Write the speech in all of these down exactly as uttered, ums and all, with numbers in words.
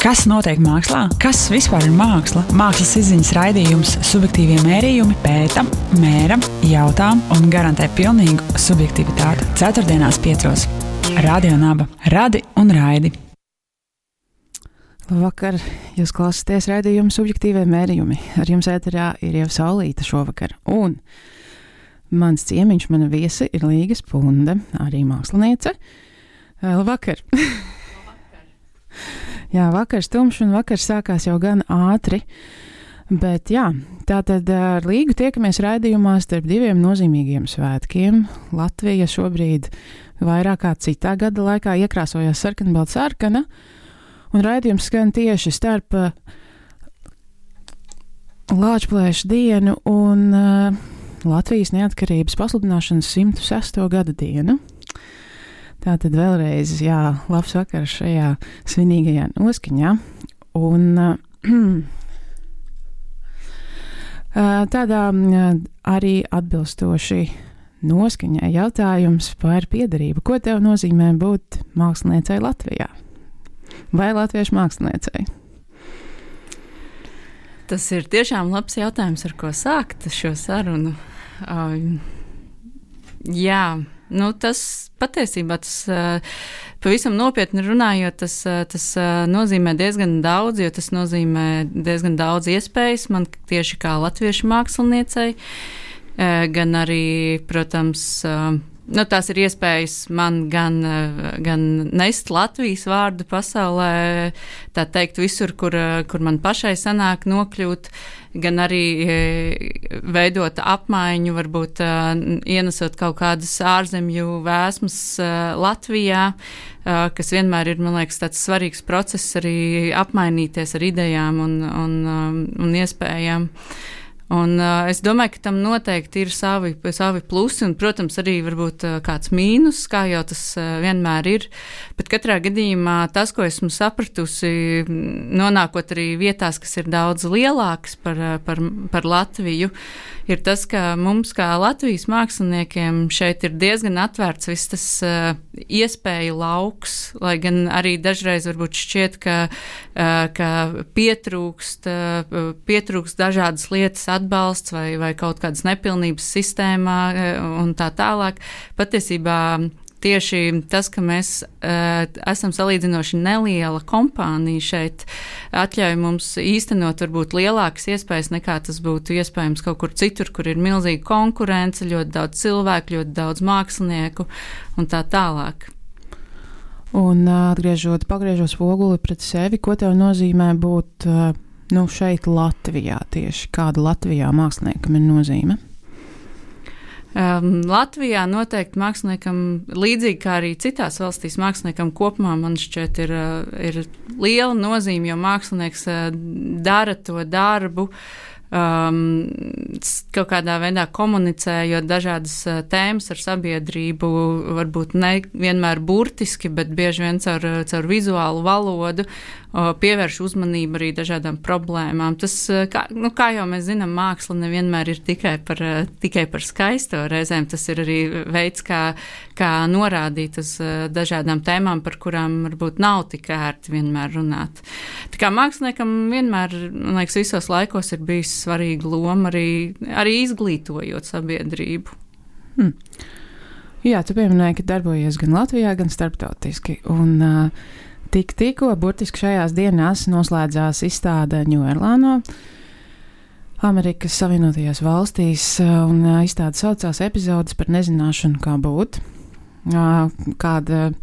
Kas notiek mākslā? Kas vispār ir māksla? Mākslas izziņas raidījums Subjektīvie mērījumi pēta, mēra, jautā un garantē pilnīgu subjektivitāti. Ceturtdienās piecos. Radio Naba. Radi un raidi. Labvakar, jūs klausāties raidījumu Subjektīvie mērījumi. Ar jums ēterā ir jau Saulīta šovakar. Un mans ciemiņš, mana viesi ir Līga Spunde, arī māksliniece. Labvakar! Jā, vakars tumšs un vakars sākās jau gan ātri, bet jā, tātad ar Līgu tiekamies raidījumā starp diviem nozīmīgiem svētkiem. Latvija šobrīd vairāk kā citā gada laikā iekrāsojās sarkanbalta sarkana, un raidījums skan tieši starp uh, Lāčplēša dienu un uh, Latvijas neatkarības pasludināšanas simt sesto gada dienu. Tātad vēlreiz, jā, labs vakars šajā svinīgajā noskaņā. Un uh, tādā uh, arī atbilstoši noskaņai jautājums par piederību. Ko tev nozīmē būt māksliniecei Latvijā? Vai latviešu māksliniecei? Tas ir tiešām labs jautājums, ar ko sākt šo sarunu. Uh, jā. Nu, tas patiesībā, tas pavisam nopietni runājot, tas, tas nozīmē diezgan daudz, jo tas nozīmē diezgan daudz iespējas man tieši kā latviešu māksliniecei, gan arī, protams, nu, tās ir iespējas man gan, gan nest Latvijas vārdu pasaulē, tā teikt, visur, kur, kur man pašai sanāk nokļūt, gan arī veidot apmaiņu, varbūt ienesot kaut kādas ārzemju vēsmas Latvijā, kas vienmēr ir, man liekas, tāds svarīgs process arī apmainīties ar idejām un, un, un iespējām. Un uh, es domāju, ka tam noteikti ir savi, savi plusi un, protams, arī varbūt uh, kāds mīnus, kā jau tas uh, vienmēr ir. Bet katrā gadījumā tas, ko esmu sapratusi, nonākot arī vietās, kas ir daudz lielākas par, uh, par, par Latviju, ir tas, ka mums kā Latvijas māksliniekiem šeit ir diezgan atvērts viss tas uh, iespēju lauks, lai gan arī dažreiz varbūt šķiet, ka, uh, ka pietrūkst, uh, pietrūkst dažādas lietas atbalsts vai, vai kaut kādas nepilnības sistēmā un tā tālāk. Patiesībā tieši tas, ka mēs uh, esam salīdzinoši neliela kompānija šeit, atļauj mums īstenot varbūt lielākas iespējas nekā tas būtu iespējams kaut kur citur, kur ir milzīga konkurence, ļoti daudz cilvēku, ļoti daudz mākslinieku un tā tālāk. Un atgriežot, pagriežot spoguli pret sevi, ko tev nozīmē būt uh, nu, šeit Latvijā tieši? Kāda Latvijā māksliniekam ir nozīme? Um, Latvijā noteikti māksliniekam, līdzīgi kā arī citās valstīs māksliniekam kopumā, man šķiet, ir, ir liela nozīme, jo mākslinieks dara to darbu, um, kaut kādā veidā komunicējot dažādas tēmas ar sabiedrību, varbūt ne vienmēr burtiski, bet bieži vien caur, caur vizuālu valodu, pievērš uzmanību arī dažādām problēmām. Tas, kā, nu, kā jau mēs zinām, māksla nevienmēr ir tikai par, tikai par skaisto. Reizēm tas ir arī veids, kā, kā norādīt uz dažādām tēmām, par kurām varbūt nav tik ērti vienmēr runāt. Tā kā māksliniekam vienmēr, man liekas, visos laikos ir bijis svarīga loma arī, arī izglītojot sabiedrību. Hmm. Jā, tu pieminēji, ka darbojies gan Latvijā, gan starptautiski. Un uh, Tik, tikko, burtiski šajās dienās noslēdzās izstāde Ņūerlānā, Amerikas Savienotajās valstīs, un izstāde saucās Epizodes par nezināšanu, kā būt. Kāda,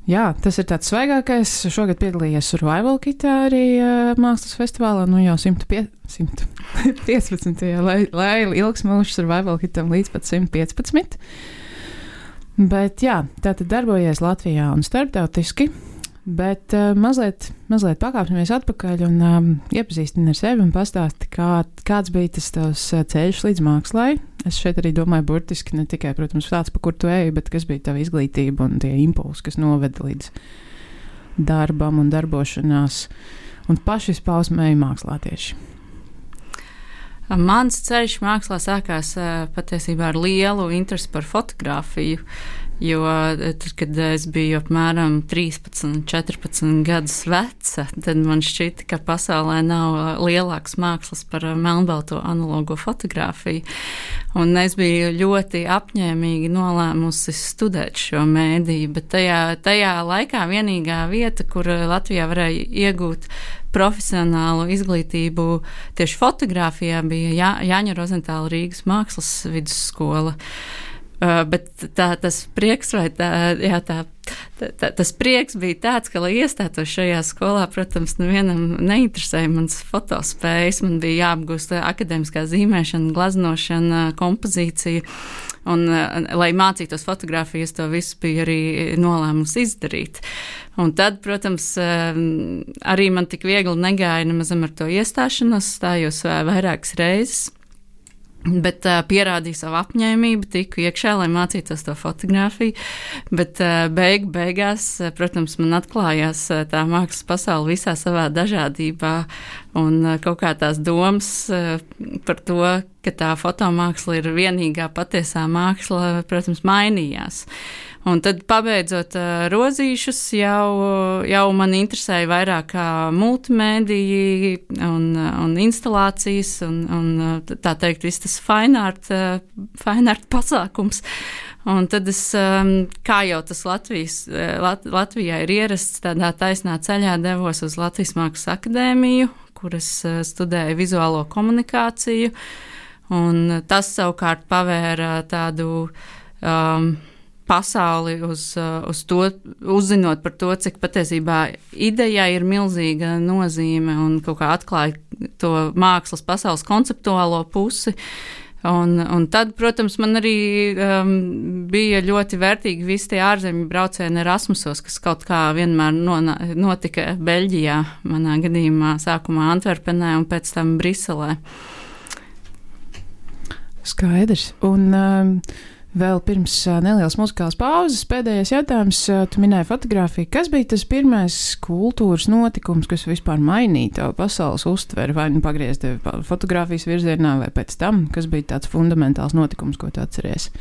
jā, tas ir tāds svaigākais. Šogad piedalījies Survival Kitā arī mākslas festivālā, nu jau simt piecpadsmitajā, lai, lai ilgs mūžs Survival Kitam līdz pat simt piecpadsmit. Bet jā, tātad darbojies Latvijā un starptautiski. Bet uh, mazliet, mazliet pakāpsimies atpakaļ un um, iepazīstini ar sevi un pastāsti, kā, kāds bija tas tavs ceļš līdz mākslai. Es šeit arī domāju burtiski ne tikai, protams, tāds, pa kur tu eji, bet kas bija tava izglītība un tie impulsi, kas noveda līdz darbam un darbošanās un pašizpausmēji mākslā tieši. Mans ceļš mākslā sākās patiesībā ar lielu interesi par fotografiju. Jo tad, kad es biju apmēram trīspadsmit, četrpadsmit gadus veca, tad man šķita, ka pasaulē nav lielākas mākslas par melnbalto analogo fotografiju. Un es biju ļoti apņēmīgi nolēmusi studēt šo mēdīju, bet tajā, tajā laikā vienīgā vieta, kur Latvijā varēja iegūt profesionālu izglītību tieši fotografijā, bija Jā, Jāņa Rozentāla Rīgas mākslas vidusskola. Uh, bet tā, tas prieks, vai tā, jā, tā, tā, tā, tas prieks bija tāds, ka, lai iestātos šajā skolā, protams, nevienam neinteresēja mans fotospējas. Man bija jāapgūst akadēmiskā zīmēšana, glaznošana, kompozīcija. Un, lai mācītos fotografiju, es to visu biju arī nolēmusi izdarīt. Un tad, protams, arī man tik viegli negāja nemazam ar to iestāšanos, stājos vairākas reizes. Bet uh, pierādīju savu apņēmību, tiku iekšā, lai mācītos to fotografiju. Bet uh, beig, beigās, uh, protams, man atklājās uh, tā mākslas pasaule visā savā dažādībā. Un uh, kaut kā tās domas uh, par to, ka tā fotomāksla ir vienīgā patiesā māksla, protams, mainījās. Un tad, pabeidzot uh, rozīšus, jau, jau man interesēja vairāk kā multimēdiji un, un instalācijas un, un tā teikt, viss tas fine art, uh, fine art pasākums. Un tad es, um, kā jau tas Latvijas, Lat, Latvijā ir ierasts, tādā taisnā ceļā devos uz Latvijas Mākslas akadēmiju, kur es uh, studēju vizuālo komunikāciju. Un tas savukārt pavēra tādu um, pasauli uz, uz to, uzzinot par to, cik patiesībā idejai ir milzīga nozīme un kaut kā atklāja to mākslas pasaules konceptuālo pusi. Un, un tad, protams, man arī um, bija ļoti vērtīgi visi tie ārzemju braucieni Erasmusos, kas kaut kā vienmēr nona, notika Beļģijā, manā gadījumā sākumā Antverpenē un pēc tam Briselē. Skaidrs. Un um, vēl pirms uh, nelielas muzikālas pauzes pēdējais jautājums. Uh, tu minēji fotografiju. Kas bija tas pirmais kultūras notikums, kas vispār mainīja tavu pasaules uztveri, vai nu pagriez tevi fotografijas virzienā, vai pēc tam? Kas bija tāds fundamentāls notikums, ko tu atceries?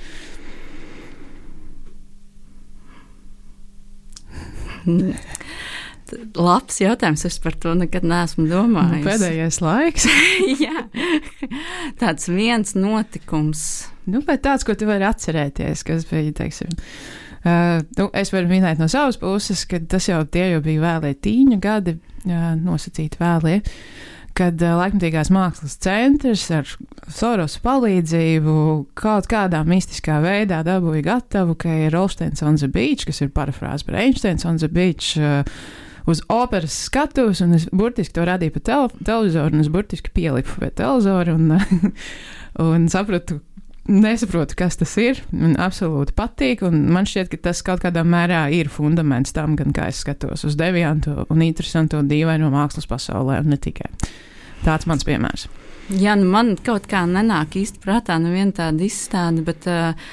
Labs jautājums, es par to nekad neesmu domājis. Nu, pēdējais laiks. Jā, tāds viens notikums. Nu, vai tāds, ko tu vari atcerēties, kas bija, teiksim, uh, nu, es varu minēt no savas puses, ka tas jau tie jau bija vēlie tīņa gadi, uh, nosacīti vēlie, kad uh, laikmatīgās mākslas centrs ar Sorosa palīdzību kaut kādā mistiskā veidā dabūja gatavu, ka ir Rolsteins on the Beach, kas ir parafrāze par Einsteins on the Beach, uh, uz operas skatuves, un es burtiski to radīju pa tel televizoru, un es burtiski pielipu pie televizora, un, un sapratu, nesaprotu, kas tas ir, man absolūti patīk, un man šķiet, ka tas kaut kādā mērā ir fundaments tam, gan kā es skatos uz deviantu un interesantu un dīvaino mākslas pasaulē, un ne tikai. Tāds mans piemērs. Jā, nu man kaut kā nenāk īsti prātā neviena tāda izstāde, bet... Uh,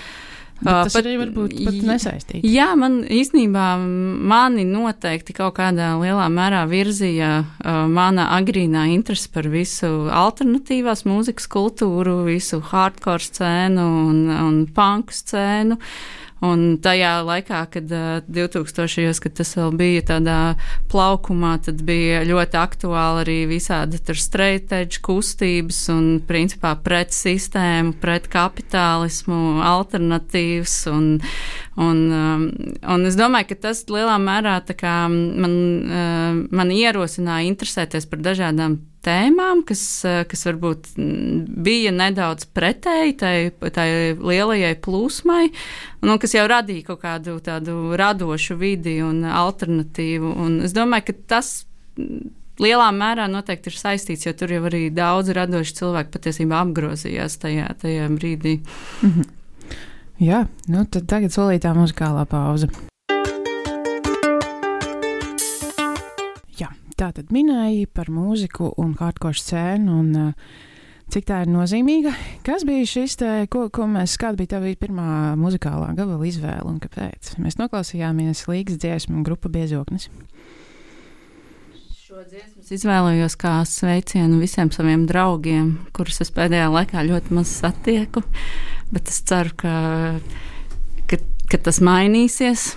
Bet tas pat, arī varbūt pat nesaistīts. Jā, man īstenībā mani noteikti kaut kādā lielā mērā virzīja uh, mana agrīnā interese par visu alternatīvās mūzikas kultūru, visu hardcore scēnu un, un punk scēnu. Un tajā laikā, kad uh, divtūkstošajos, kad tas vēl bija tādā plaukumā, tad bija ļoti aktuāli arī visādi tur straight edge kustības un principā pret sistēmu, pret kapitālismu, alternatīvas. Un, un, um, un es domāju, ka tas lielā mērā tā kā man, uh, man ierosināja interesēties par dažādām tēmām, kas, kas varbūt bija nedaudz pretēji tai, tai lielajai plūsmai, un kas jau radīja kaut kādu tādu radošu vidi un alternatīvu. Un es domāju, ka tas lielā mērā noteikti ir saistīts, jo tur jau arī daudz radoši cilvēki patiesībā apgrozījās tajā, tajā brīdī. Mhm. Jā, nu tad tagad solītā muzikālā pauze. Tā tad minēja par mūziku un hardcore scēnu un uh, cik tā ir nozīmīga. Kas bija šis te, ko, ko mēs, kāda bija tava pirmā muzikālā gabala izvēle un kāpēc? Mēs noklausījāmies Līgas dziesmu un grupa Biezoknis. Šo dziesmu izvēlējos kā sveicienu visiem saviem draugiem, kurus es pēdējā laikā ļoti maz satieku, bet es ceru, ka, ka, ka tas mainīsies.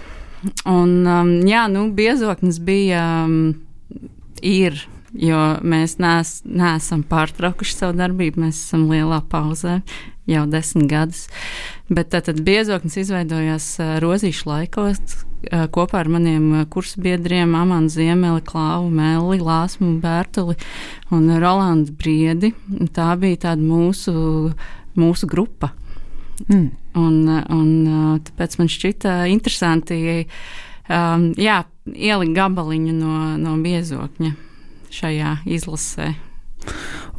Un, um, jā, nu, Biezoknis bija, um, ir, jo mēs nees, neesam pārtraukuši savu darbību, mēs esam lielā pauzē jau desmit gadus. Bet tātad Biezoknis izveidojās uh, rozīšu laikos uh, kopā ar maniem uh, kursbiedriem Amanu Ziemeli, Klāvu Melli, Lāsmu Bērtuli un Rolandu Briedi. Tā bija tāda mūsu, mūsu grupa. Mm. Un, un tāpēc man šķita interesanti um, jā, ielikt gabaliņu no, no Biezokņa šajā izlasē.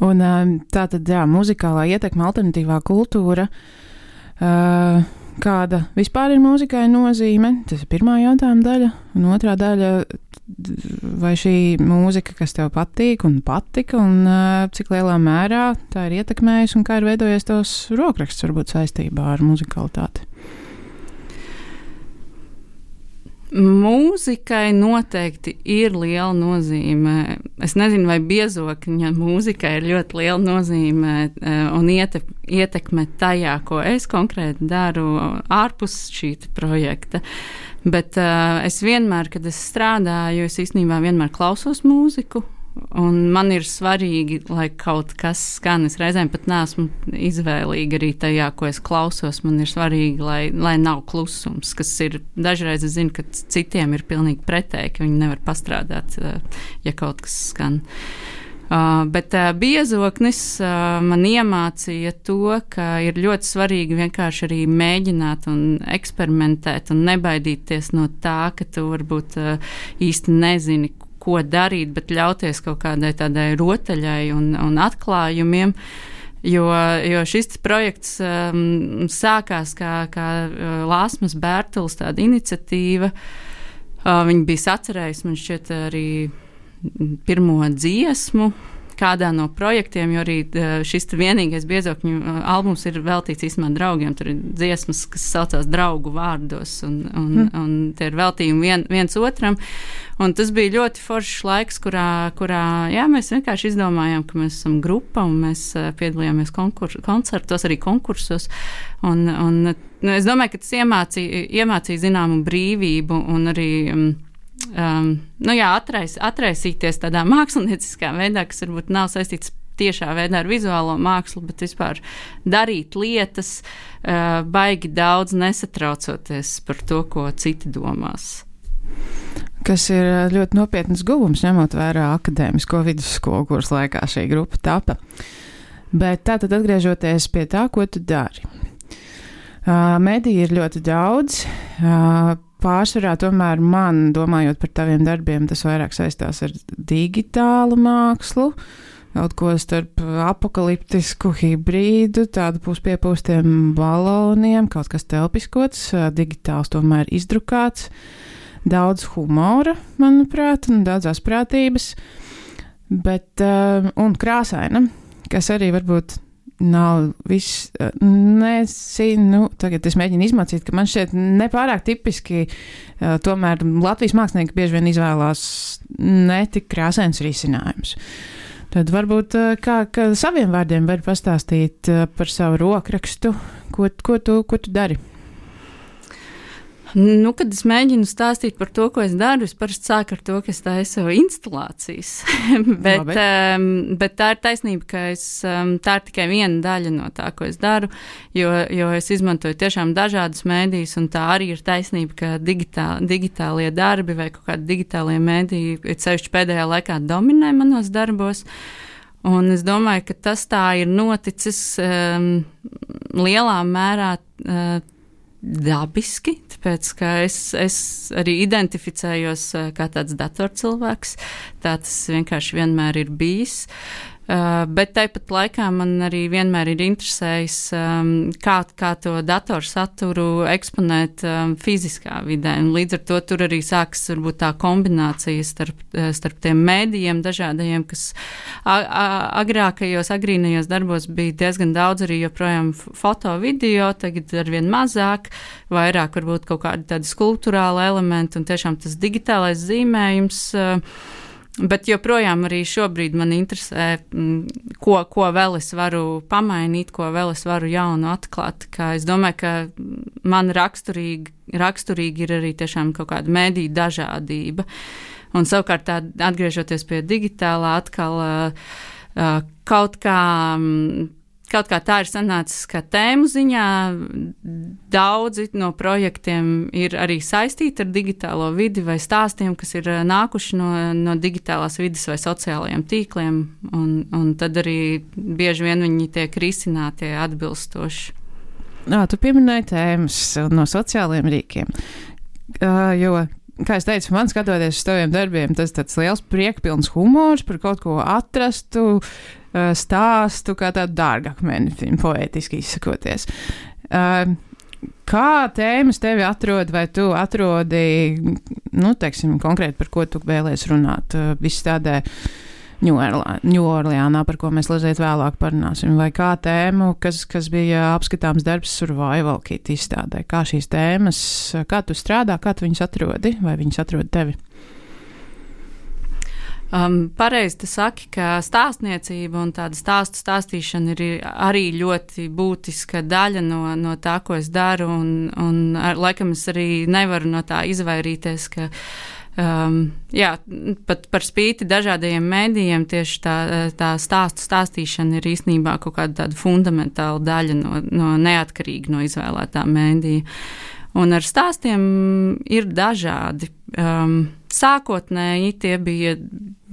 Un tā tad, jā, muzikālā ietekme, alternatīvā kultūra, uh, kāda vispār ir mūzikai nozīme? Tas ir pirmā jautājuma daļa. Un otrā daļa, vai šī mūzika, kas tev patīk un patika, un uh, cik lielā mērā tā ir ietekmējusi un kā ir veidojies tos rokraksts varbūt saistībā ar muzikalitāti? Mūzikai noteikti ir liela nozīme. Es nezinu, vai Biezokņa mūzikai ir ļoti liela nozīme un ietekme tajā, ko es konkrēti daru ārpus šī projekta. Bet uh, es vienmēr, kad es strādāju, es īstenībā vienmēr klausos mūziku. Un man ir svarīgi, lai kaut kas skan. Es reizēm pat neesmu izvēlīga arī tajā, ko es klausos. Man ir svarīgi, lai, lai nav klusums, kas ir dažreiz, es zinu, ka citiem ir pilnīgi pretēji, ka viņi nevar pastrādāt, ja kaut kas skan. Uh, bet uh, Biezoknis uh, man iemācīja to, ka ir ļoti svarīgi vienkārši arī mēģināt un eksperimentēt un nebaidīties no tā, ka tu varbūt uh, īsti nezini, ko darīt, bet ļauties kaut kādai tādai rotaļai un, un atklājumiem, jo, jo šis projekts um, sākās kā, kā uh, Lāsmas Bērtules tāda iniciatīva. Uh, viņa bija sacerējusi, man šķiet, arī pirmo dziesmu kādā no projektiem, jo arī šis vienīgais Biezokņu albums ir veltīts īstenībā draugiem. Tur ir dziesmas, kas saucās Draugu vārdos, un, un, mm. un tie ir veltījumi vien, viens otram. Un tas bija ļoti foršs laiks, kurā, kurā jā, mēs vienkārši izdomājām, ka mēs esam grupa, un mēs piedalījāmies konkurs, koncertos, arī konkursos. Un, un, nu, es domāju, ka tas iemācīja, iemācīja zināmu brīvību un arī um, Um, nu jā, atrais, atraisīties tādā mākslinieckā veidā, kas varbūt nav saistīts tiešā veidā ar vizuālo mākslu, bet vispār darīt lietas, uh, baigi daudz nesatraucoties par to, ko citi domās. Kas ir ļoti nopietnas guvums, ņemot vērā akadēmisko vidusskolu, kuras laikā šī grupa tapa. Bet tātad atgriežoties pie tā, ko tu dari. Uh, mediji ir ļoti daudz. Uh, Pārsvarā tomēr man, domājot par taviem darbiem, tas vairāk saistās ar digitālu mākslu, kaut ko starp apokaliptisku hibrīdu, tādu puspiepūstiem baloniem, kaut kas telpiskots, digitāls tomēr izdrukāts, daudz humora, manuprāt, un daudz asprātības, bet, un krāsaina, kas arī varbūt nav viss, nezinu, tagad es mēģinu izmācīt, ka man šķiet nepārāk tipiski, uh, tomēr Latvijas mākslinieki bieži vien izvēlās netik krāsains risinājums. Tad varbūt uh, kā, kā saviem vārdiem var pastāstīt uh, par savu rokrakstu, ko, ko, tu, ko tu dari? Nu, kad es mēģinu stāstīt par to, ko es daru, es parasti sāku ar to, ka es taisu instalācijas. bet, um, bet tā ir taisnība, ka es, um, tā ir tikai viena daļa no tā, ko es daru, jo, jo es izmantoju tiešām dažādas mēdījus, un tā arī ir taisnība, ka digitā, digitālie darbi vai kaut kādi digitālie mēdīji, ceļšķi pēdējā laikā dominē manos darbos. Un es domāju, ka tas tā ir noticis um, lielā mērā uh, dabiski, tāpēc, ka es, es arī identificējos kā tāds datorcilvēks, tā tas vienkārši vienmēr ir bijis. Uh, bet tāpat laikā man arī vienmēr ir interesējis, um, kā, kā to datorsaturu eksponēt um, fiziskā vidē. Un līdz ar to tur arī sākas varbūt tā kombinācija starp, starp tiem mēdījiem dažādajiem, kas a, a, agrākajos, agrīnajos darbos bija diezgan daudz arī joprojām foto, video, tagad arvien mazāk, vairāk varbūt kaut kādi tādi skulptūrāli elementi un tiešām tas digitālais zīmējums. Uh, Bet joprojām arī šobrīd man interesē, ko, ko vēl es varu pamainīt, ko vēl es varu jaunu atklāt. Kā es domāju, ka man raksturīgi, raksturīgi ir arī tiešām kaut kāda mediju dažādība. Un savukārt tā, atgriežoties pie digitālā, atkal uh, kaut kā... Kaut kā tā ir sanācis, ka tēmu ziņā daudzi no projektiem ir arī saistīti ar digitālo vidi vai stāstiem, kas ir nākuši no, no digitālās vidas vai sociālajiem tīkliem, un, un tad arī bieži vien viņi tiek risināti atbilstoši. Jā, tu pieminēji tēmas no sociālajiem rīkiem, uh, jo, kā es teicu, man skatoties uz taviem darbiem, tas tāds liels priekpilns humors par kaut ko atrastu, stāstu kā tādu dārgakmeni, poētiski izsakoties. Uh, kā tēmas tevi atrod, vai tu atrodi, nu, teiksim, konkrēti par ko tu vēlies runāt, uh, viss tādē Ņūorleānā, par ko mēs lazēt vēlāk parunāsim, vai kā tēmu, kas, kas bija apskatāms darbs Survival Kit izstādē, kā šīs tēmas, kā tu strādā, kā tu viņus atrodi, vai viņus atrod tevi? Um, pareizi tu saki, ka stāstniecība un tāda stāstu stāstīšana ir arī ļoti būtiska daļa no, no tā, ko es daru, un, un ar, laikam es arī nevaru no tā izvairīties, ka um, jā, pat par spīti dažādajiem mēdījiem tieši tā, tā stāstu stāstīšana ir īstenībā kaut kāda tāda fundamentāla daļa no, no neatkarīgi no izvēlētā mēdīja. Un ar stāstiem ir dažādi. Um, sākotnēji tie bija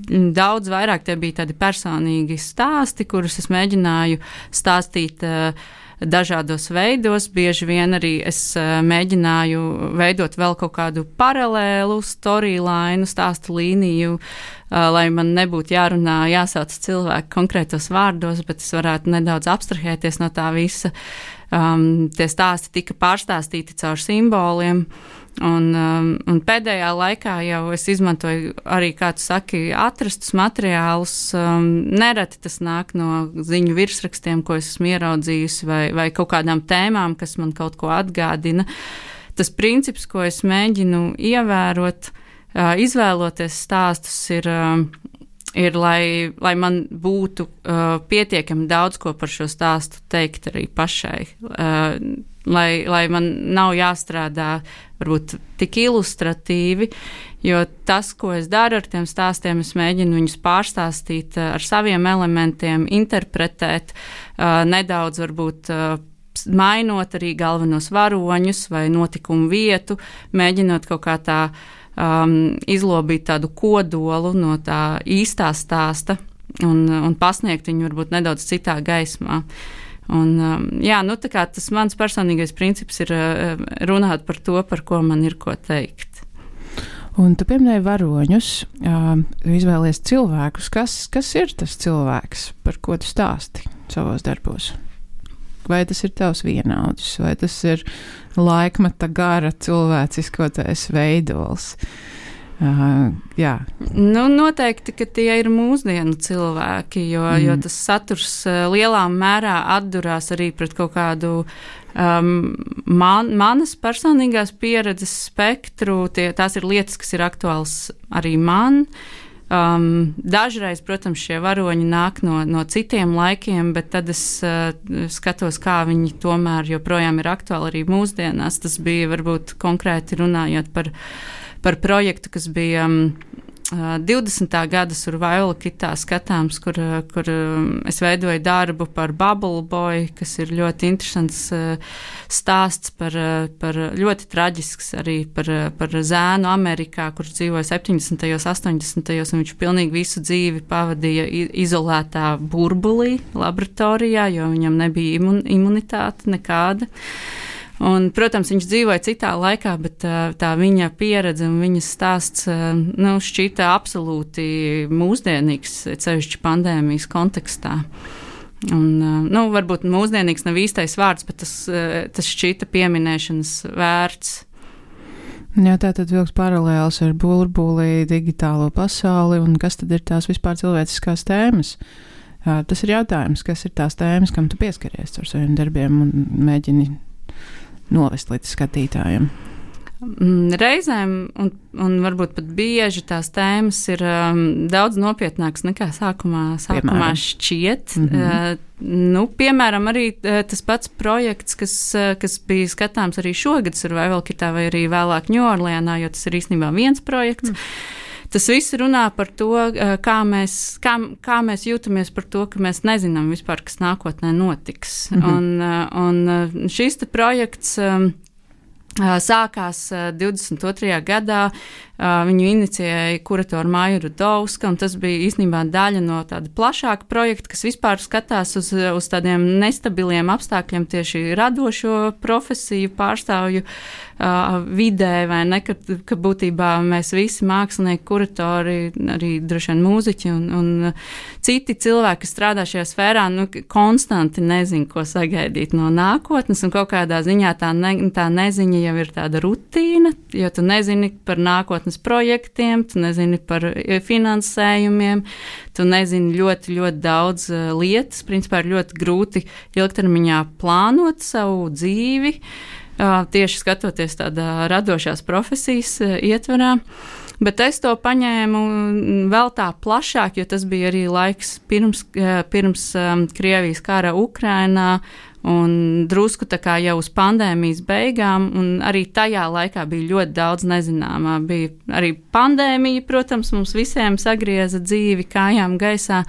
daudz vairāk, tie bija tādi personīgi stāsti, kurus es mēģināju stāstīt uh, dažādos veidos. Bieži vien arī es uh, mēģināju veidot vēl kaut kādu paralēlu storyline, stāstu līniju, uh, lai man nebūtu jārunā, jāsauc cilvēku konkrētos vārdos, bet es varētu nedaudz abstrahēties no tā visa. Um, tie stāsti tika pārstāstīti caur simboliem, un, um, un pēdējā laikā jau es izmantoju arī, kā tu saki, atrastus materiālus. Um, nereti tas nāk no ziņu virsrakstiem, ko es esmu ieraudzījusi, vai, vai kaut kādām tēmām, kas man kaut ko atgādina. Tas princips, ko es mēģinu ievērot, uh, izvēloties stāstus, ir... Um, ir, lai, lai man būtu uh, pietiekami daudz ko par šo stāstu teikt arī pašai, uh, lai, lai man nav jāstrādā varbūt tik ilustratīvi, jo tas, ko es daru ar tiem stāstiem, es mēģinu viņus pārstāstīt uh, ar saviem elementiem, interpretēt, uh, nedaudz varbūt uh, mainot arī galvenos varoņus vai notikumu vietu, mēģinot kaut kā tā Um, izlobīt tādu kodolu no tā īstā stāsta un, un pasniegt viņu varbūt nedaudz citā gaismā. Un, um, jā, nu tā kā tas mans personīgais princips ir uh, runāt par to, par ko man ir ko teikt. Un tu pieminēji varoņus, uh, izvēlies cilvēkus. Kas, kas ir tas cilvēks, par ko tu stāsti savos darbos? Vai tas ir tavs vienaudis, vai tas ir laikmeta gara cilvēciskotais veidols? Uh, jā. Nu, noteikti, ka tie ir mūsdienu cilvēki, jo, mm. jo tas saturs uh, lielā mērā atdurās arī pret kaut kādu um, man, manas personīgās pieredzes spektru. Tie, tās ir lietas, kas ir aktuāls arī man. Um, dažreiz, protams, šie varoņi nāk no, no citiem laikiem, bet tad es uh, skatos, kā viņi tomēr joprojām ir aktuāli arī mūsdienās. Tas bija varbūt konkrēti runājot par, par projektu, kas bija um, divdesmitā gada Survival Kitā skatāms, kur, kur es veidoju darbu par Bubble Boy, kas ir ļoti interesants stāsts par, par ļoti traģisks arī par, par zēnu Amerikā, kurš dzīvoja septiņdesmitajos, astoņdesmitajos, un viņš pilnīgi visu dzīvi pavadīja izolētā burbulī laboratorijā, jo viņam nebija imun, imunitāte nekāda. Un, protams, viņš dzīvoja citā laikā, bet tā, tā viņa pieredze un viņas stāsts nu, šķita absolūti mūsdienīgs, cevišķi pandēmijas kontekstā. Un, nu, varbūt mūsdienīgs nav īstais vārds, bet tas, tas šķita pieminēšanas vērts. Jā, tā tad vilks paralēls ar burbuli, digitālo pasauli, un kas tad ir tās vispār cilvēciskās tēmas? Tas ir jautājums, kas ir tās tēmas, kam tu pieskaries ar saviem darbiem un mēģini novest līdz skatītājiem? Reizēm, un, un varbūt pat bieži tās tēmas ir um, daudz nopietnākas nekā sākumā, sākumā šķiet. Mm-hmm. Uh, nu, piemēram, arī uh, tas pats projekts, kas, uh, kas bija skatāms arī šogad Survival Kitā vai arī vēlāk Ņūorleānā, jo tas ir īstenībā viens projekts. Mm. Tas viss runā par to, uh, kā mēs, kā, kā mēs jūtamies par to, ka mēs nezinām vispār, kas nākotnē notiks. Mm-hmm. Un, uh, un šis te projekts um, sākās divdesmit otrajā gadā, viņu inicijēja kuratora Maija Rudovska, un tas bija īstenībā daļa no tāda plašāka projekta, kas vispār skatās uz, uz tādiem nestabiliem apstākļiem tieši radošo profesiju pārstāvju uh, vidē, vai ne, ka, ka būtībā mēs visi mākslinieki, kuratori, arī droši vien mūziķi un, un citi cilvēki, kas strādā šajā sfērā, nu, konstanti nezin, ko sagaidīt no nākotnes, un kaut kādā ziņā tā, ne, tā neziņa jau ir tāda rutīna, jo tu nezini par nākotnes projektiem, tu nezini par finansējumiem, tu nezini ļoti, ļoti daudz lietas. Principā ir ļoti grūti ilgtermiņā plānot savu dzīvi, tieši skatoties tādā radošās profesijas ietverā. Bet es to paņēmu vēl tā plašāk, jo tas bija arī laiks pirms, pirms Krievijas kara Ukrainā, un drusku tā kā jau uz pandēmijas beigām, un arī tajā laikā bija ļoti daudz nezināmā. Bija arī pandēmija, protams, mums visiem sagrieza dzīvi kājām gaisā,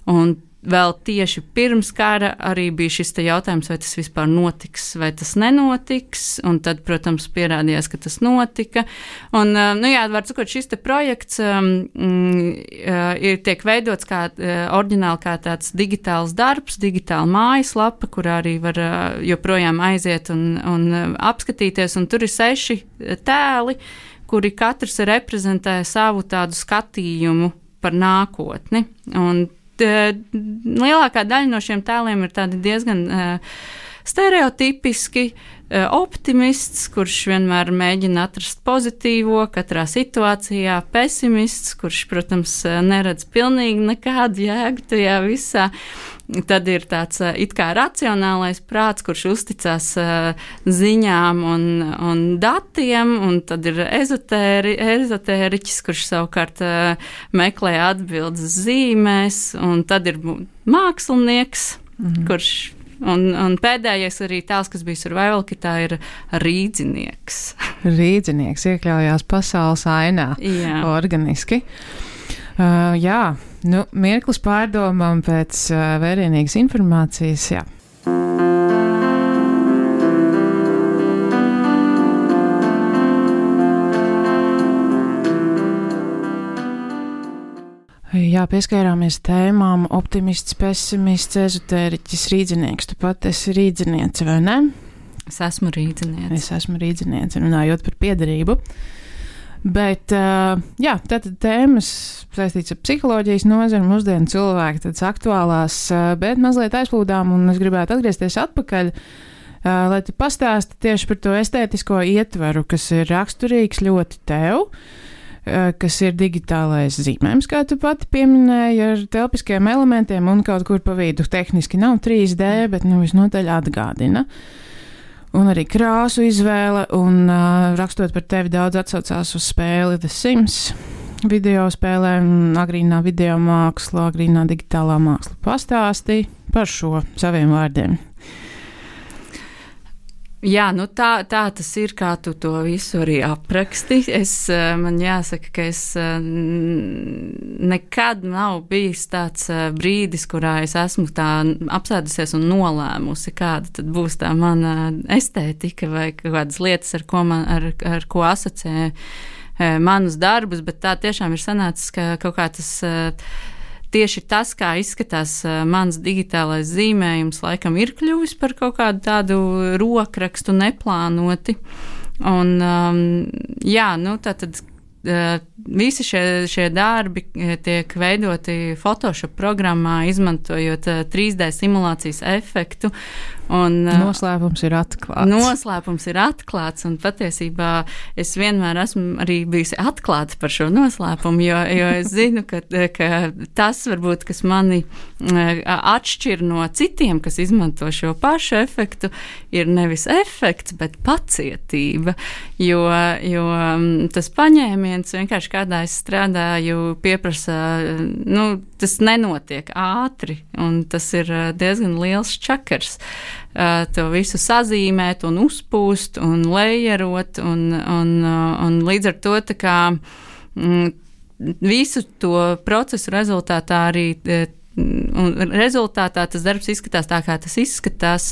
un vēl tieši pirms kara arī bija šis te jautājums, vai tas vispār notiks, vai tas nenotiks, un tad, protams, pierādījās, ka tas notika. Un, nu jā, var sakot, šis te projekts um, ir tiek veidots kā uh, oriģināli kā tāds digitāls darbs, digitāla mājaslapa, kurā arī var uh, joprojām aiziet un, un uh, apskatīties, un tur ir seši tēli, kuri katrs reprezentē savu tādu skatījumu par nākotni. Un lielākā daļa no šiem tēliem ir tādi diezgan uh, stereotipiski, uh, optimists, kurš vienmēr mēģina atrast pozitīvo katrā situācijā, pesimists, kurš, protams, neredz pilnīgi nekādu jēgu tajā visā. Tad ir tāds uh, it kā racionālais prāts, kurš uzticās uh, ziņām un, un datiem, un tad ir ezotēri, ezotēriķis, kurš savukārt uh, meklē atbildes zīmēs, un tad ir mākslinieks, mm-hmm. kurš, un, un pēdējais arī tēls, kas bija Survival Kitā, ir rīdzinieks. Rīdzinieks iekļaujās pasaules ainā, jā. Organiski. Uh, jā, nu, mirklis pārdomām pēc uh, vērienīgas informācijas, jā. Jā, pieskārāmies tēmām optimists, pesimists, ezotēriķis, rīdzinieks. Tu pat esi rīdziniece, vai ne? Es esmu rīdziniece. Es esmu rīdziniece, runājot par piederību. Bet, uh, jā, tātad tēmas saistīts ar psiholoģijas nozari, mūsdienu cilvēki, tādas aktuālās, uh, bet mazliet aizplūdām, un es gribētu atgriezties atpakaļ, uh, lai tu pastāsti tieši par to estētisko ietvaru, kas ir raksturīgs ļoti tev, uh, kas ir digitālais zīmējums, kā tu pati pieminēji, ar telpiskiem elementiem un kaut kur pa vidu. Tehniski nav trīs D, bet nu visnotaļ atgādina. Un arī krāsu izvēle, un uh, rakstot par tevi daudz atsaucās uz spēli The Sims, video spēlēm, agrīnā video māksla, agrīnā digitālā māksla. Pastāstīja par šo saviem vārdiem. Jā, nu tā, tā tas ir, kā tu to visu arī apraksti. Es, man jāsaka, ka es nekad nav bijis tāds brīdis, kurā es esmu tā apsēdusies un nolēmusi, kāda tad būs tā mana estētika vai kādas lietas, ar ko, man, ar, ar ko asociē manus darbus, bet tā tiešām ir sanācis, ka kaut kā tas tieši tas, kā izskatās uh, mans digitālais zīmējums, laikam ir kļuvis par kaut kādu tādu rokrakstu neplānoti. Un, um, jā, nu, tātad uh, visi šie, šie darbi tiek veidoti Photoshop programmā, izmantojot uh, trīs D simulācijas efektu. Un, noslēpums ir atklāts. Noslēpums ir atklāts, un patiesībā es vienmēr esmu arī bijusi atklāta par šo noslēpumu, jo, jo es zinu, ka, ka tas varbūt, kas mani atšķir no citiem, kas izmanto šo pašu efektu, ir nevis efekts, bet pacietība, jo, jo tas paņēmiens vienkārši kādā es strādāju pieprasa, nu, tas nenotiek ātri, un tas ir diezgan liels čakars. Uh, to visu sazīmēt un uzpūst un lejerot un, un, uh, un līdz ar to tā kā mm, visu to procesu rezultātā arī uh, un rezultātā tas darbs izskatās tā, kā tas izskatās.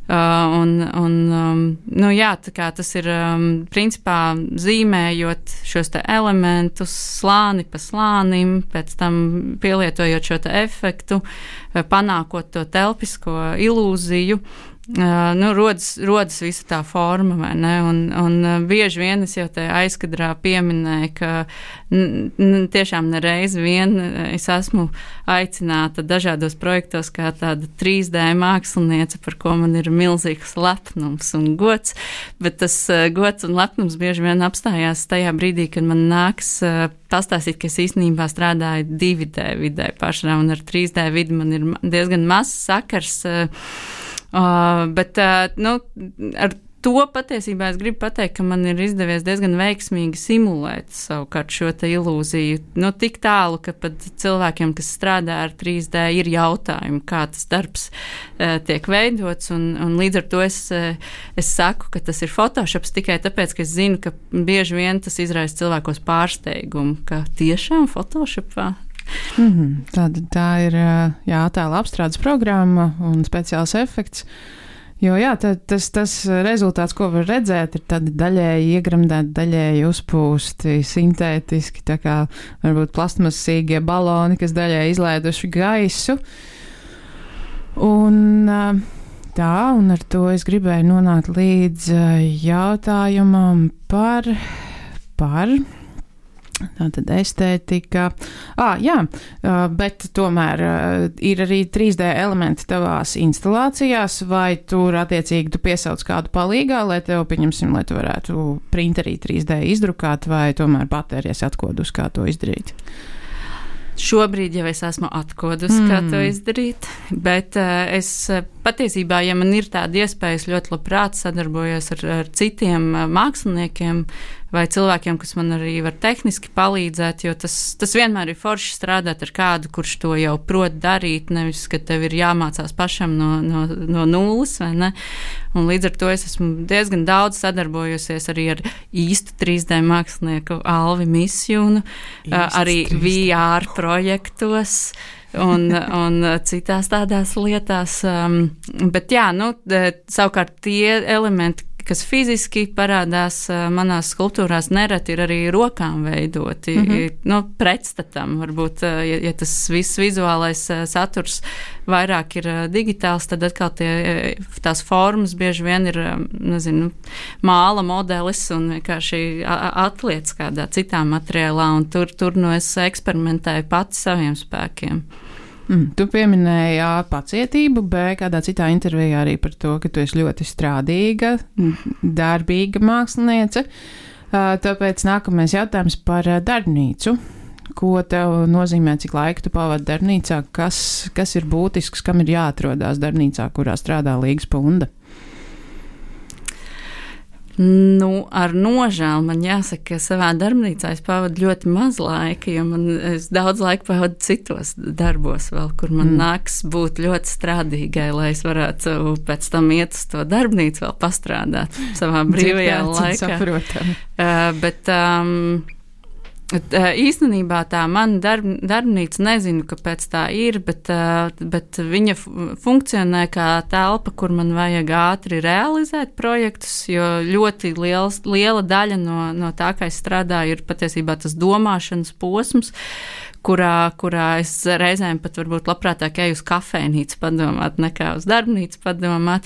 Uh, un, un, um, nu jā, tā kā tas ir um, principā zīmējot šos te elementus slāni pa slānim, pēc tam pielietojot šo te efektu, panākot to telpisko ilūziju. Uh, nu, rodas, rodas visa tā forma, vai ne? Un, un bieži vien es jau te aizkadrā pieminēju, ka n, n, tiešām nereiz vien es esmu aicināta dažādos projektos kā tāda trīs D māksliniece, par ko man ir milzīgs lepnums un gods, bet tas uh, gods un lepnums bieži vien apstājās tajā brīdī, kad man nāks uh, pastāstīt, ka es īstenībā strādāju divi D vidē pašā, un ar trīs D vidi man ir diezgan mazs sakars. Uh, Uh, bet, uh, nu, ar to patiesībā es gribu pateikt, ka man ir izdevies diezgan veiksmīgi simulēt savukārt šo te ilūziju. Nu, tik tālu, ka pat cilvēkiem, kas strādā ar trīs D, ir jautājumi, kā tas darbs uh, tiek veidots, un, un līdz ar to es, uh, es saku, ka tas ir Photoshops tikai tāpēc, ka es zinu, ka bieži vien tas izraisa cilvēkos pārsteigumu, ka tiešām Photoshopā. Mm-hmm. Tāda, tā ir jā, attēla apstrādes programma un speciāls efekts. Jo jā, tā, tas, tas rezultāts, ko var redzēt, ir tādi daļēji iegremdēti, daļēji uzpūsti, sintētiski, tā kā varbūt plastmasīgie baloni, kas daļēji izlaiduši gaisu. Un tā, un ar to es gribēju nonākt līdz jautājumam par, par tātad estētika. Ah, jā, bet tomēr ir arī trīs D elementi tavās instalācijās, vai tur attiecīgi tu piesauc kādu palīgā, lai tev, pieņemsim, lai tu varētu printerī trīs D izdrukāt, vai tomēr patēries atkodus, kā to izdarīt? Šobrīd jau es esmu atkodusi, mm. kā to izdarīt, bet uh, es patiesībā, ja man ir tāda iespēja, es ļoti labprāt sadarbojos ar, ar citiem uh, māksliniekiem vai cilvēkiem, kas man arī var tehniski palīdzēt, jo tas, tas vienmēr ir forši strādāt ar kādu, kurš to jau prot darīt, nevis, ka tev ir jāmācās pašam no, no, no nulles, vai ne? Un līdz ar to es esmu diezgan daudz sadarbojusies arī ar īstu trīs D mākslinieku Alvi Misjunu, uh, arī V R projektos un, un citās tādās lietās. Um, bet jā, nu, savukārt tie elementi, kas fiziski parādās uh, manās skulptūrās, nereti ir arī rokām veidoti, mm-hmm. nu, pretstatam. Varbūt, uh, ja, ja tas viss vizuālais uh, saturs vairāk ir uh, digitāls, tad atkal tie, tās formas bieži vien ir, um, nezinu, māla modelis un vienkārši atliec kādā citā materiālā, un tur, tur nu es eksperimentēju pati saviem spēkiem. Mm, tu pieminēji A, pacietību, B, kādā citā intervijā arī par to, ka tu esi ļoti strādīga, darbīga māksliniece. Tāpēc nākamais jautājums par darbnīcu. Ko tev nozīmē, cik laika tu pavadi darbnīcā, kas, kas ir būtisks, kam ir jāatrodās darbnīcā, kurā strādā Līga Spunda? Nu, ar nožēlu man jāsaka, ka savā darbnīcā es pavadu ļoti maz laika, jo man es daudz laika pavadu citos darbos vēl, kur man mm. nāks būt ļoti strādīgai, lai es varētu pēc tam iet uz to darbnīcu vēl pastrādāt savā brīvajā laikā. Uh, bet um, īstenībā tā mana darb, darbnīca, nezinu, kāpēc tā ir, bet, bet viņa funkcionē kā telpa, kur man vajag ātri realizēt projektus, jo ļoti liels, liela daļa no, no tā, kā es strādāju, ir patiesībā tas domāšanas posms, kurā, kurā es reizēm pat varbūt labprātāk eju uz kafejnīcu padomāt, nekā uz darbnīcu padomāt.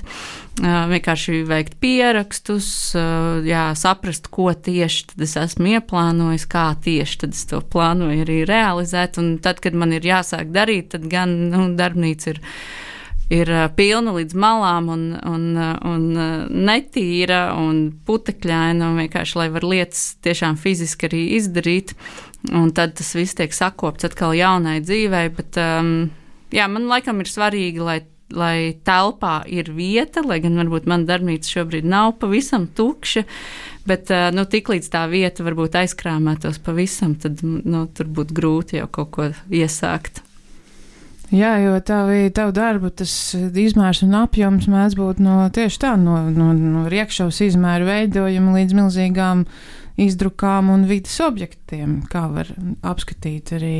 Uh, vienkārši veikt pierakstus, uh, jā, saprast, ko tieši tad es esmu ieplānojis, kā tieši tad es to plānoju arī realizēt, un tad, kad man ir jāsāk darīt, tad gan, nu, darbnīca ir ir pilna līdz malām un, un, un netīra un putekļaina, un vienkārši, lai var lietas tiešām fiziski arī izdarīt, un tad tas viss tiek sakopts atkal jaunai dzīvei, bet um, jā, man laikam ir svarīgi, lai lai telpā ir vieta, lai gan varbūt man darbnīca šobrīd nav pavisam tukša, bet nu, tik līdz tā vieta varbūt aizkrāmētos pavisam, tad nu, tur būtu grūti jau kaut ko iesākt. Jā, jo tavi, tavu darbu tas izmērs un apjoms mēdz būt no tieši tā, no, no, no riekšavas izmēru veidojuma līdz milzīgām izdrukām un vidas objektiem, kā var apskatīt arī,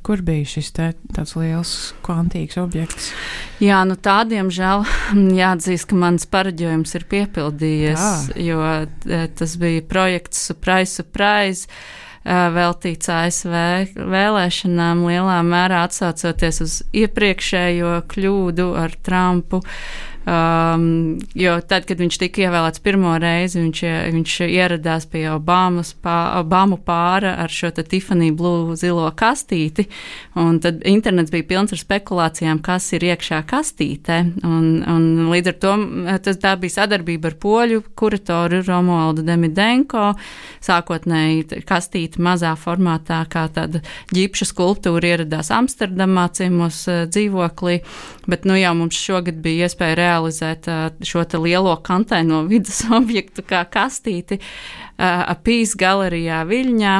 kur bija šis te, tāds liels kvantīgs objekts. Jā, nu tādiem žēl jāatzīst, ka mans pareģojums ir piepildījies, tā. Jo tas bija projekts Surprise, Surprise, veltīts A S V vēlēšanām, lielā mērā atsaucoties uz iepriekšējo kļūdu ar Trumpu. Um, jo tad, kad viņš tika ievēlēts pirmo reizi, viņš, viņš ieradās pie Obamas pā, Obamu pāra ar šo te Tiffany Blue zilo kastīti, un tad internets bija pilns ar spekulācijām, kas ir iekšā kastītē, un, un līdz ar to tas, tā bija sadarbība ar poļu kuratoru Romualdu Demidenko, sākotnēji kastīti mazā formātā, kā tāda ģipša skulptūra ieradās Amsterdamā ciemos dzīvoklī, bet nu jau mums šogad bija iespēja realizēt šo te lielo kantēno vidas objektu kā kastīti Apīs galerijā Viļņā,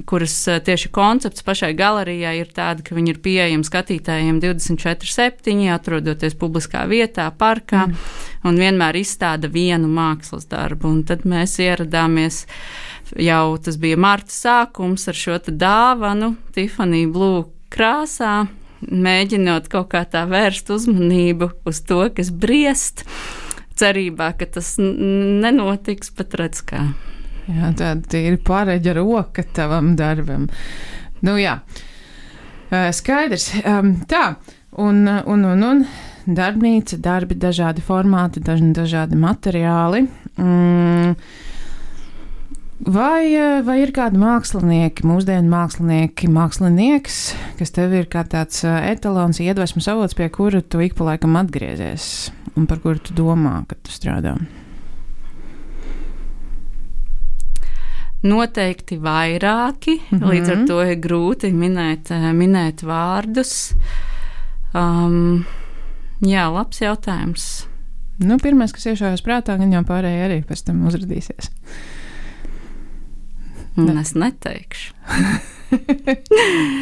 kuras tieši koncepts pašai galerijai ir tāda, ka viņi ir pieejami skatītājiem divdesmit četri septiņi, atrodoties publiskā vietā, parkā, mm. un vienmēr izstāda vienu mākslas darbu. Un tad mēs ieradāmies jau, tas bija marta sākums ar šo te dāvanu Tiffany Blue krāsā, mēģinot kaut kā tā vērst uzmanību uz to, kas briest, cerībā, ka tas n- nenotiks, bet redz kā. Jā, tāda ir pareģa roka tavam darbam. Nu jā, skaidrs. Tā, un, un, un, un darbnīca, darbi, dažādi formāti, daži, dažādi materiāli. Mm. Vai, vai ir kādi mākslinieki, mūsdienu mākslinieki, mākslinieks, kas tev ir kā tāds etalons, iedvesmas avots, pie kura tu ik pa laikam atgriezies un par kuru tu domā, kad tu strādā? Noteikti vairāki, mm-hmm. līdz ar to ir grūti minēt, minēt vārdus. Um, jā, labs jautājums. Nu, pirmais, kas iešaujas prātā, gan jau pārējie arī pēc tam uzradīsies. Un es neteikšu.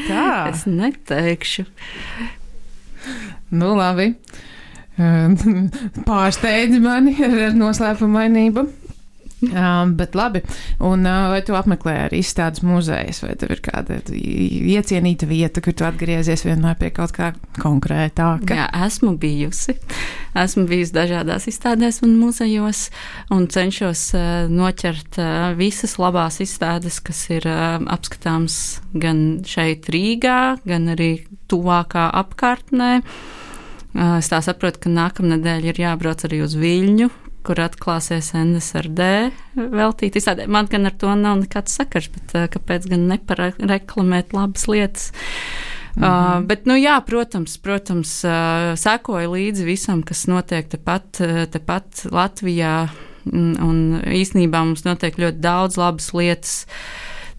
Tā. Es neteikšu. Nu, labi. Pārsteidzi mani ar noslēpumainību. Um, bet labi, un uh, vai tu apmeklē arī izstādes muzejas, vai tev ir kāda iecienīta vieta, kur tu atgriezies vienmēr pie kaut kā konkrētāka? Jā, esmu bijusi. Esmu bijusi dažādās izstādēs un muzejos, un cenšos uh, noķert uh, visas labās izstādes, kas ir uh, apskatāms gan šeit Rīgā, gan arī tuvākā apkārtnē. Uh, es tā saprotu, ka nākamnedēļ ir jābrauc arī uz Viļņu, kur atklāsies N S R D veltīt izstādē. Man gan ar to nav nekāds sakars, bet uh, kāpēc gan nepareklamēt labas lietas. Mm-hmm. Uh, bet, nu jā, protams, protams, uh, sekoju līdzi visam, kas notiek tepat, tepat Latvijā, un, un īstenībā mums notiek ļoti daudz labas lietas.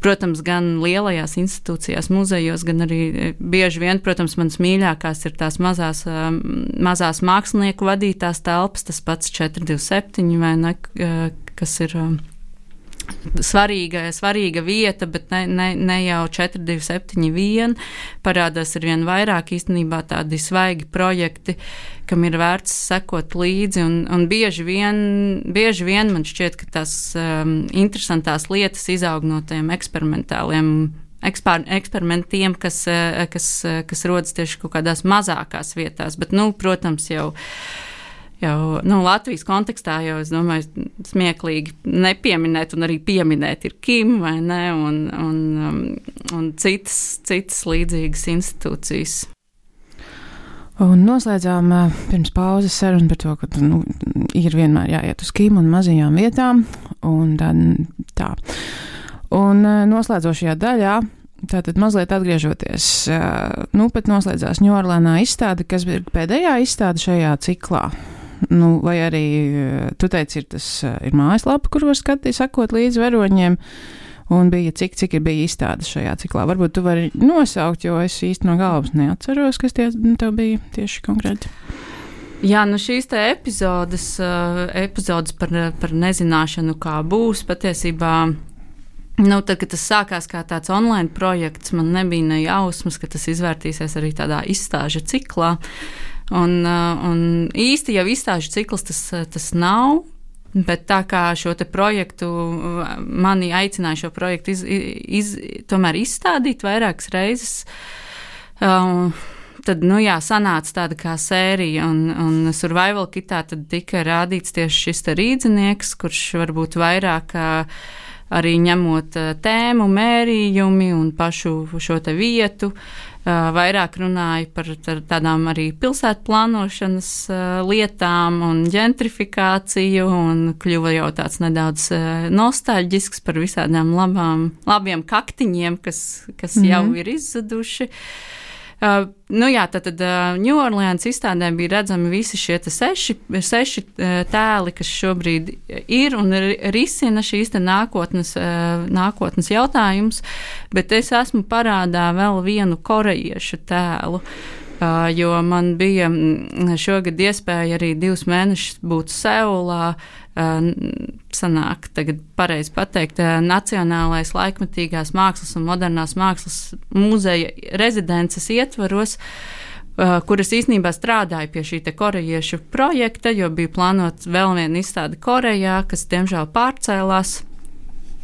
Protams, gan lielajās institūcijās, muzejos, gan arī bieži vien, protams, manas mīļākās ir tās mazās, mazās mākslinieku vadītās telpas, tas pats četri divi septiņi, vai ne, kas ir svarīga, svarīga vieta, bet ne, ne, ne jau četri divi septiņi vien, parādās ar vien vairāk īstenībā tādi svaigi projekti, kam ir vērts sekot līdzi, un, un bieži, vien, bieži vien man šķiet, ka tās um, interesantās lietas izaug no tiem eksperimentāliem ekspər, eksperimentiem, kas, kas, kas rodas tieši kaut kādās mazākās vietās, bet, nu, protams, jau Jau, nu, Latvijas kontekstā jau, es domāju, smieklīgi nepieminēt un arī pieminēt ir Kim, vai ne, un, un, um, un citas, citas līdzīgas institūcijas. Un noslēdzām pirms pauzes sarunu par to, ka nu, ir vienmēr jāiet uz Kim un mazajām vietām, un tā. tā. Un noslēdzošajā daļā tātad mazliet atgriežoties, nu, pat noslēdzās Ņūorleānā izstāde, kas ir pēdējā izstāde šajā ciklā. Nu, vai arī, tu teici, ir tas ir mājaslapa, kur var skatīt, sakot līdz varoņiem, un bija cik, cik ir bija izstāde šajā ciklā. Varbūt tu vari nosaukt, jo es īsti no galvas neatceros, kas tie, tev bija tieši konkrēti. Jā, nu šīs te epizodes, uh, epizodes par, par nezināšanu, kā būs, patiesībā, nu, tad, kad tas sākās kā tāds online projekts, man nebija ne jausmas, ka tas izvērtīsies arī tādā izstāžu ciklā. Un, uh, un īsti jau izstāžu cikls tas, tas nav, bet tā kā šo te projektu, mani aicināja šo projektu iz, iz, tomēr izstādīt vairākas reizes, uh, tad, nu jā, sanāca tāda kā sērija, un, un Survival Kitā tad tika rādīts tieši šis te rīdzinieks, kurš varbūt vairāk arī ņemot tēmu, mērījumi un pašu šo te vietu, vairāk runāja par tādām arī pilsētu plānošanas lietām un ģentrifikāciju, un kļuva jau tāds nedaudz nostalģisks par visādām labām, labiem kaktiņiem, kas, kas mm-hmm. jau ir izzuduši. Uh, nu jā, tad, tad uh, Ņūorleānas izstādē bija redzami visi šie te seši, seši uh, tēli, kas šobrīd ir un risina šīs te nākotnes, uh, nākotnes jautājums, bet es esmu parādā vēl vienu korejiešu tēlu, uh, jo man bija šogad iespēja arī divus mēnešus būt Seulā, uh, sanāk, tagad pareizi pateikt, Nacionālais laikmatīgās mākslas un modernās mākslas muzeja rezidences ietvaros, kuras īstenībā strādāja pie šī te korejiešu projekta, jo bija plānot vēl viena izstāde Korejā, kas diemžēl pārcēlās.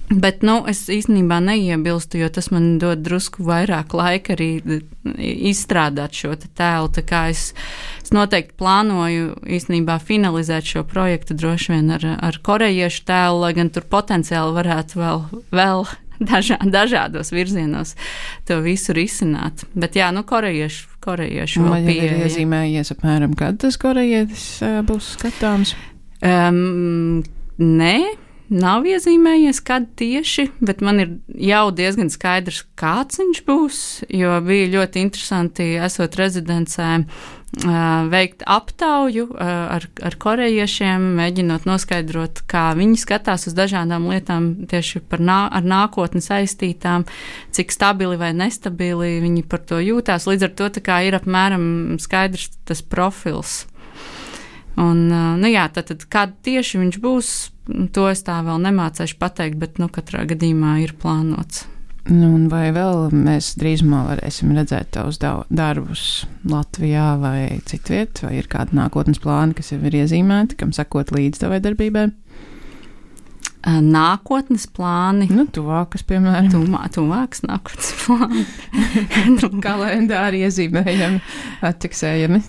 Bet, nu, es īstenībā neiebilstu, jo tas man dod drusku vairāk laika arī izstrādāt šo te tēlu, tā kā es, es noteikti plānoju īstenībā finalizēt šo projektu droši vien ar, ar korejiešu tēlu, lai gan tur potenciāli varētu vēl, vēl dažā, dažādos virzienos to visu risināt. Bet jā, nu, korejiešu, korejiešu vēl pieeja. Vai ir iezīmējies apmēram, kad tas korejietis būs skatāms? Um, nē. Nav iezīmējies, kad tieši, bet man ir jau diezgan skaidrs, kāds viņš būs, jo bija ļoti interesanti, esot rezidencē, veikt aptauju ar, ar korejiešiem, mēģinot noskaidrot, kā viņi skatās uz dažādām lietām tieši par nā, ar nākotni saistītām, cik stabili vai nestabili viņi par to jūtās. Līdz ar to tā kā ir apmēram skaidrs tas profils. Un, nu jā, tad, tad kād tieši viņš būs, to es tā vēl nemācēšu pateikt, bet, nu, katrā gadījumā ir plānots. Nu, un vai vēl mēs drīzumā varēsim redzēt tavus darbus Latvijā vai citviet, vai ir kādi nākotnes plāni, kas jau ir iezīmēti, kam sakot līdz tavai darbībai? Nākotnes plāni. Nu, tuvākas, piemēram. Tuvā, tuvākas nākotnes plāni. Kalendāri iezīmējami, atķeksējami.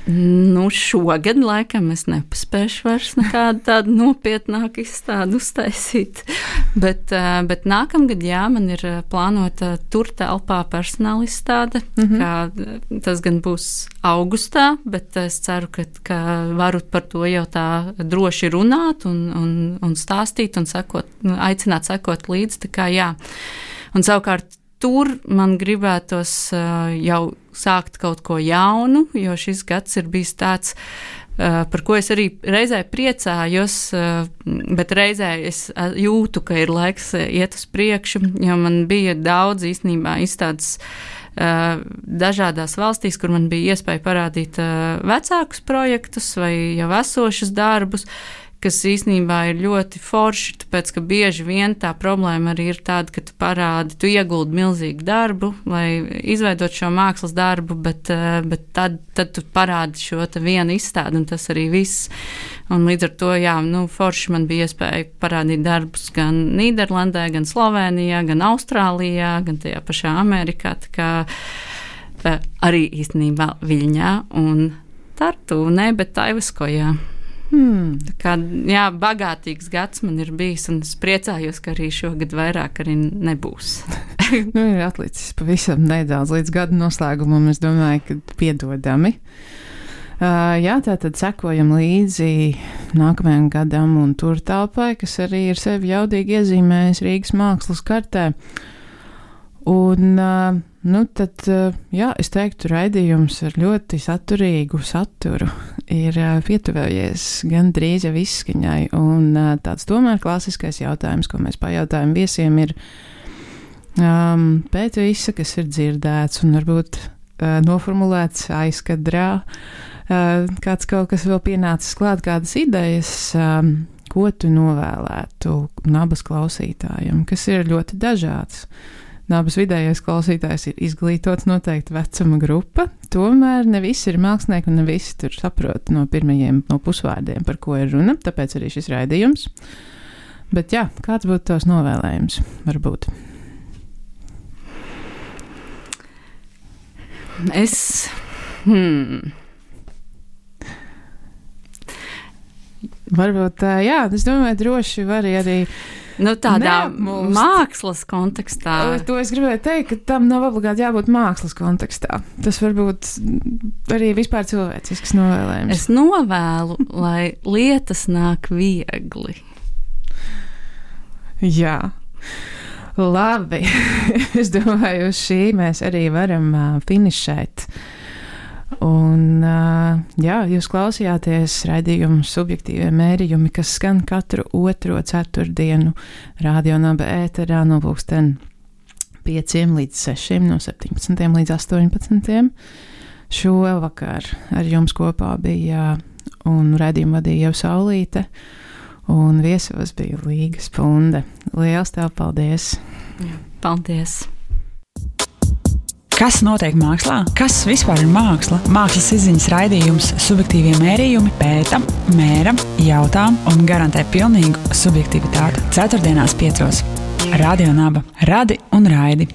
Nu, šogad laikam es nepaspēšu vairs nekādu tādu nopietnāku izstādi uztaisīt, bet, bet nākamgad, jā, man ir plānota tur telpā personāla izstāde, mm-hmm. kā tas gan būs augustā, bet es ceru, ka, ka varu par to jau tā droši runāt un, un, un stāstīt un sekot, aicināt sekot līdzi, tā kā jā. Un savukārt tur man gribētos uh, jau sākt kaut ko jaunu, jo šis gads ir bijis tāds, uh, par ko es arī reizē priecājos, uh, bet reizē es jūtu, ka ir laiks iet uz priekšu, jo man bija daudz īstenībā izstādes uh, dažādās valstīs, kur man bija iespēja parādīt uh, vecākus projektus vai jau esošus darbus, kas īstenībā ir ļoti forši, tāpēc, ka bieži vien tā problēma arī ir tāda, ka tu parādi, tu ieguldi milzīgu darbu, lai izveidot šo mākslas darbu, bet, bet tad, tad tu parādi šo te vienu izstādi, un tas arī viss. Un līdz ar to, jā, nu, forši man bija iespēja parādīt darbus gan Nīderlandē, gan Slovenijā, gan Austrālijā, gan tajā pašā Amerikā, tā kā arī īstenībā Viļņā un Tartu, ne, bet Taivaskojā. Hmm. Tā kā, jā, bagātīgs gads man ir bijis, un es priecājos, ka arī šogad vairāk arī nebūs. Nu, ir atlicis pavisam nedaudz līdz gada noslēgumam, es domāju, ka piedodami. Uh, jā, tātad sekojam līdzi nākamajam gadam un tur telpai, kas arī ir sevi jaudīgi iezīmējis Rīgas mākslas kartē. Un, nu, tad, jā, es teiktu, raidījums ar ļoti saturīgu saturu ir pietuvējies gan drīz jau izskaņai, un tāds tomēr klasiskais jautājums, ko mēs pajautājam viesiem, ir um, pēc visa, kas ir dzirdēts un varbūt uh, noformulēts aizkadrā, uh, kāds kaut kas vēl pienācis klāt, kādas idejas, um, ko tu novēlētu nabas klausītājiem, kas ir ļoti dažāds. Nabas vidējais klausītājs ir izglītots noteikti vecuma grupa, tomēr ne visi ir mākslinieki un ne visi tur saprot no pirmajiem no pusvārdiem, par ko ir runa, tāpēc arī šis raidījums. Bet jā, kāds būtu tavs novēlējums, varbūt? Es... Hmm. Varbūt, jā, es domāju, droši var arī... Nu, tādā Neapmulst. Mākslas kontekstā. To es gribēju teikt, ka tam nav obligāti jābūt mākslas kontekstā. Tas var būt arī vispār cilvēcisks novēlējums. Es novēlu, lai lietas nāk viegli. Jā. Labi. Es domāju, uz šī mēs arī varam uh, finišēt. Un, uh, jā, jūs klausījāties raidījumu subjektīvie mērījumi, kas skan katru otro ceturtdienu Radio Naba ēterā no pulksten pieciem līdz sešiem, no septiņpadsmitiem līdz astoņpadsmitiem. Šovakar ar jums kopā bija un raidījumu vadīja jau Saulīte, un viesos bija Līga Spunde. Liels tev paldies! Jā, paldies! Kas notiek mākslā? Kas vispār ir māksla? Mākslas izziņas raidījums subjektīvie mērījumi pēta, mēra, jautā un garantē pilnīgu subjektivitāti. Ceturtdienās piecos. Radio Naba. Radi un raidi.